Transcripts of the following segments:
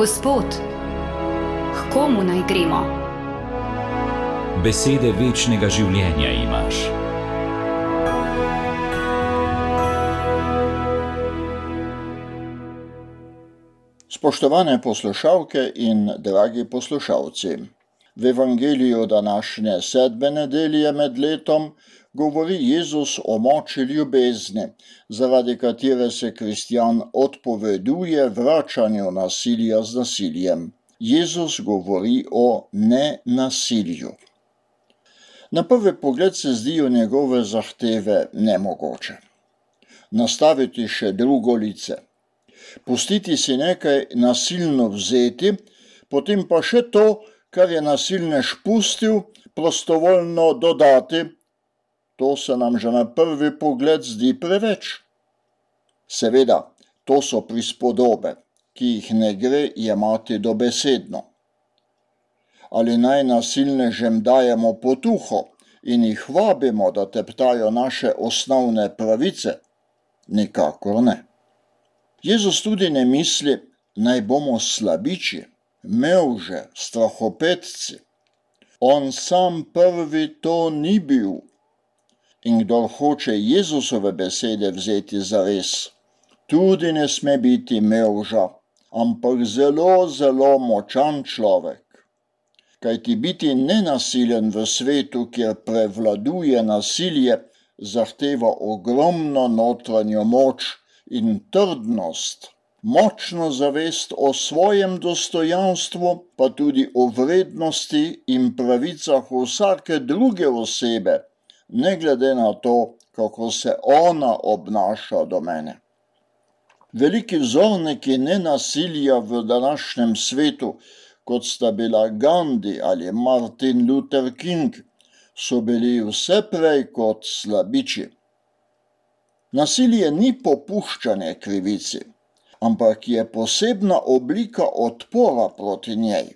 Gospod, k komu naj gremo? Besede večnega življenja imaš. Spoštovane poslušalke in dragi poslušalci, v Evangeliju današnje 7. nedelje med letom govori Jezus o moči ljubezni, zaradi katere se kristjan odpoveduje vračanju nasilja z nasiljem. Jezus govori o nenasilju. Na prvi pogled se zdijo njegove zahteve nemogoče. Nastaviti še drugo lice. Pustiti si nekaj nasilno vzeti, potem pa še to, kar je nasilnež pustil, prostovoljno dodati, to se nam že na prvi pogled zdi preveč. Seveda, to so prispodobe, ki jih ne gre jemati dobesedno. Ali naj nasilnežem dajemo potuho in jih vabimo, da teptajo naše osnovne pravice? Nikakor ne. Jezus tudi ne misli, naj bomo slabiči, mevže, strahopetci. On sam prvi to ni bil. In kdor hoče Jezusove besede vzeti zares, tudi ne sme biti mevža, ampak zelo, zelo močan človek. Kajti biti nenasilen v svetu, kjer prevladuje nasilje, zahteva ogromno notranjo moč in trdnost, močno zavest o svojem dostojanstvu, pa tudi o vrednosti in pravicah vsake druge osebe, ne glede na to, kako se ona obnaša do mene. Veliki vzorniki nenasilja v današnjem svetu, kot sta bila Gandhi ali Martin Luther King, so bili vse prej kot slabiči. Nasilje ni popuščanje krivici, ampak je posebna oblika odpora proti njej.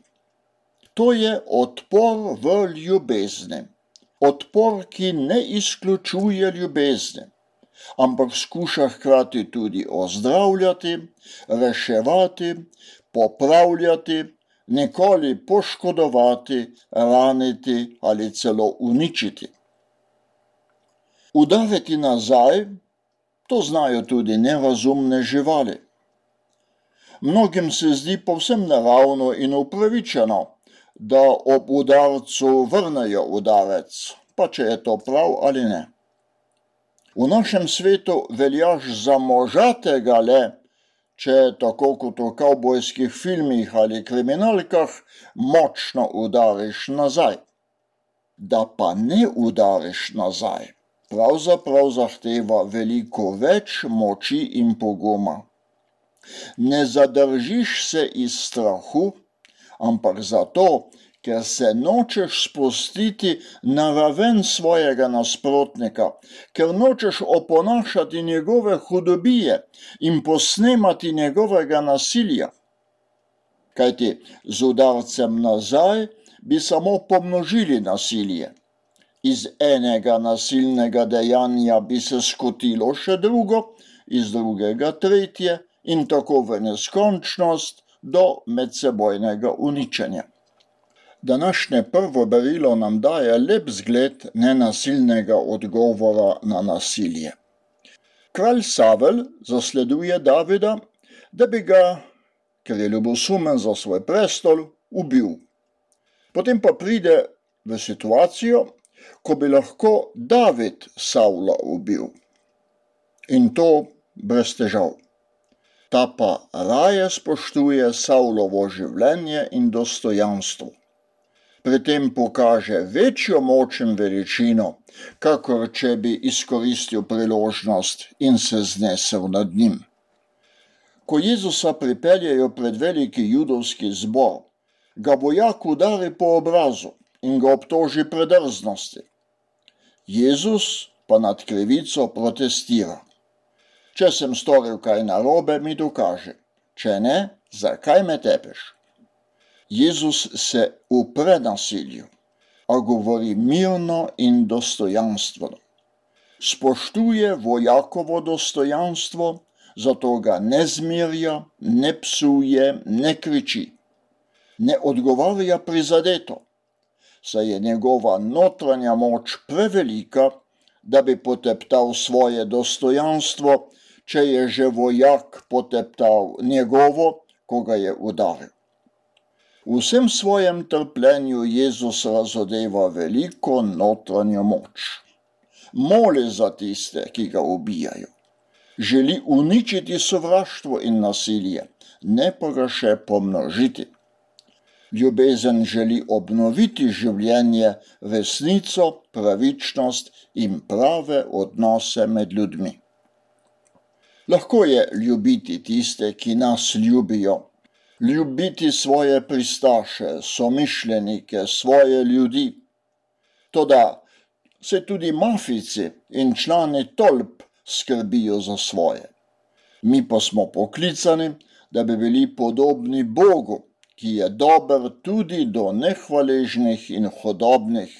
To je odpor v ljubezni. Odpor, ki ne izključuje ljubezni, ampak skuša hkrati tudi ozdravljati, reševati, popravljati, nikoli poškodovati, raniti ali celo uničiti. Udariti nazaj, to znajo tudi nerazumne živali. Mnogim se zdi povsem naravno in upravičeno, da ob udarcu vrnejo udarec, pa če je to prav ali ne. V našem svetu veljaš za možatega le, če tako kot v kavbojskih filmih ali kriminalkah močno udariš nazaj. Da pa ne udariš nazaj, pravzaprav zahteva veliko več moči in poguma. Ne zadržiš se iz strahu, ampak zato, ker se nočeš spustiti na raven svojega nasprotnika, ker nočeš oponašati njegove hudobije in posnemati njegovega nasilja. Kajti z udarcem nazaj bi samo pomnožili nasilje. Iz enega nasilnega dejanja bi se skotilo še drugo, iz drugega tretje in tako v neskončnost, do medsebojnega uničenja. Današnje prvo berilo nam daje lep zgled nenasilnega odgovora na nasilje. Kralj Savel zasleduje Davida, da bi ga, ker je ljubosumen za svoj prestol, ubil. Potem pa pride v situacijo, ko bi lahko David Savla ubil. In to brez težav. Ta pa raje spoštuje Savlovo življenje in dostojanstvo. Pri tem pokaže večjo moč in veličino, kakor če bi izkoristil priložnost in se znesel nad njim. Ko Jezusa pripeljejo pred veliki judovski zbor, ga vojak udari po obrazu in ga obtoži predrznosti. Jezus pa nad krivico protestira. Če sem storil kaj narobe, mi dokaži. Če ne, zakaj me tepeš? Jezus se upre nasilju, a govori mirno in dostojanstveno. Spoštuje vojakovo dostojanstvo, zato ga ne zmerja, ne psuje, ne kriči. Ne odgovarja prizadeto, saj je njegova notranja moč prevelika, da bi poteptal svoje dostojanstvo, če je že vojak poteptal njegovo, ko ga je udaril. V vsem svojem trpljenju Jezus razodeva veliko notranjo moč. Moli za tiste, ki ga ubijajo. Želi uničiti sovraštvo in nasilje, ne pa ga še pomnožiti. Ljubezen želi obnoviti življenje, resnico, pravičnost in prave odnose med ljudmi. Lahko je ljubiti tiste, ki nas ljubijo, ljubiti svoje pristaše, somišljenike, svoje ljudi. Toda se tudi mafijci in člani tolp skrbijo za svoje. Mi pa smo poklicani, da bi bili podobni Bogu, ki je dober tudi do nehvaležnih in hudobnih,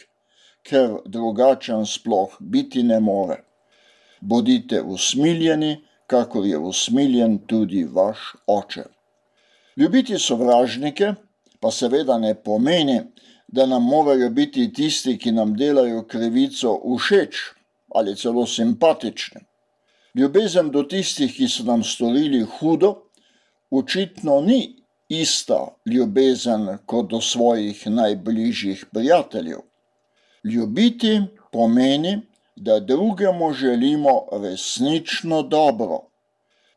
ker drugačen sploh biti ne more. Bodite usmiljeni, kakor je usmiljen tudi vaš Oče. Ljubiti sovražnike pa seveda ne pomeni, da nam morajo biti tisti, ki nam delajo krivico, všeč ali celo simpatični. Ljubezen do tistih, ki so nam storili hudo, očitno ni ista ljubezen kot do svojih najbližjih prijateljev. Ljubiti pomeni, da drugemu želimo resnično dobro,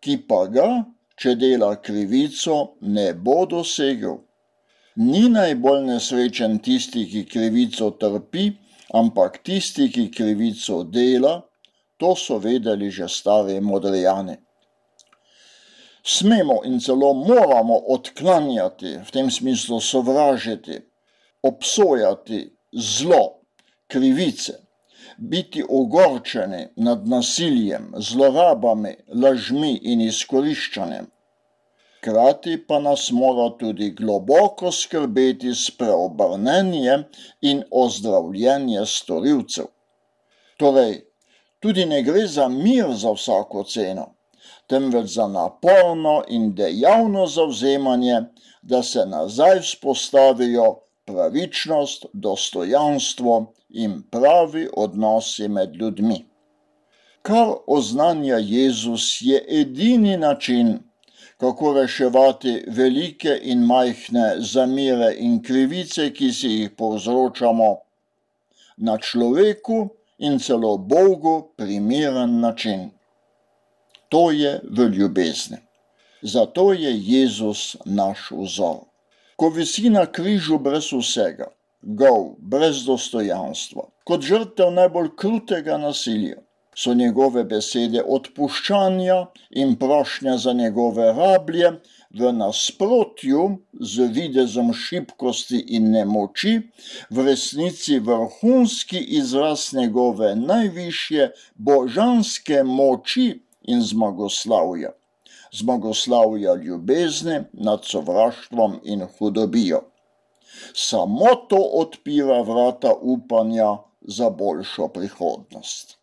ki pa ga, če dela krivico, ne bo dosegel. Ni najbolj nesrečen tisti, ki krivico trpi, ampak tisti, ki krivico dela, to so vedeli že stari Modrijani. Smemo in celo moramo odklanjati, v tem smislu sovražiti, obsojati zlo, krivice, biti ogorčeni nad nasiljem, zlorabami, lažmi in izkoriščanjem. Hkrati pa nas mora tudi globoko skrbeti spreobrnenje in ozdravljenje storilcev. Torej, tudi ne gre za mir za vsako ceno, temveč za naporno in dejavno zavzemanje, da se nazaj vzpostavijo pravičnost, dostojanstvo in pravi odnosi med ljudmi. Kar oznanja Jezus, je edini način, kako reševati velike in majhne zamere in krivice, ki si jih povzročamo, na človeku in celo Bogu primeren način. To je v ljubezni. Zato je Jezus naš vzor. Ko visi na križu brez vsega, gol, brez dostojanstva, kot žrtev najbolj krutega nasilja, so njegove besede odpuščanja in prošnja za njegove rablje v nasprotju z videzom šibkosti in nemoči, v resnici vrhunski izraz njegove najvišje božanske moči in zmagoslavja. Zmagoslavja ljubezni nad sovraštvom in hudobijo. Samo to odpira vrata upanja za boljšo prihodnost.